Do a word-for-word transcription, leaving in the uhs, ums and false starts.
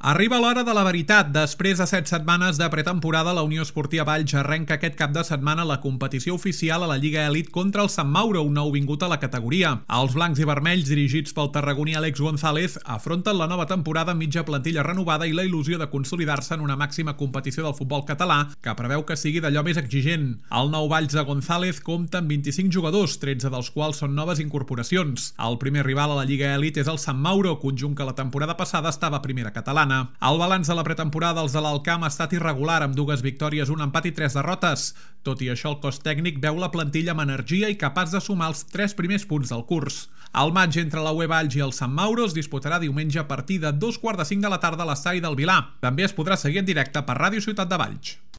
Arriba l'hora de la veritat. Després de set setmanes de pretemporada, la Unió Esportiva Valls arrenca aquest cap de setmana la competició oficial a la Lliga Elit contra el Sant Mauro, un nou vingut a la categoria. Els blancs i vermells, dirigits pel tarragoní Àlex González, afronten la nova temporada amb mitja plantilla renovada i la il·lusió de consolidar-se en una màxima competició del futbol català, que preveu que sigui d'allò més exigent. El nou Valls de González compta amb vint-i-cinc jugadors, tretze dels quals són noves incorporacions. El primer rival a la Lliga Elit és el Sant Mauro, conjunt que la temporada passada estava a primera catalana. El balanç de la pretemporada dels de l'Alcamp ha estat irregular, amb dues victòries, un empat i tres derrotes. Tot i això, el cos tècnic veu la plantilla amb energia i capaç de sumar els tres primers punts del curs. El matx entre la U E Valls i el Sant Mauro es disputarà diumenge a partir de dos quarts de cinc de la tarda a l'estadi del Vilar. També es podrà seguir en directe per Ràdio Ciutat de Valls.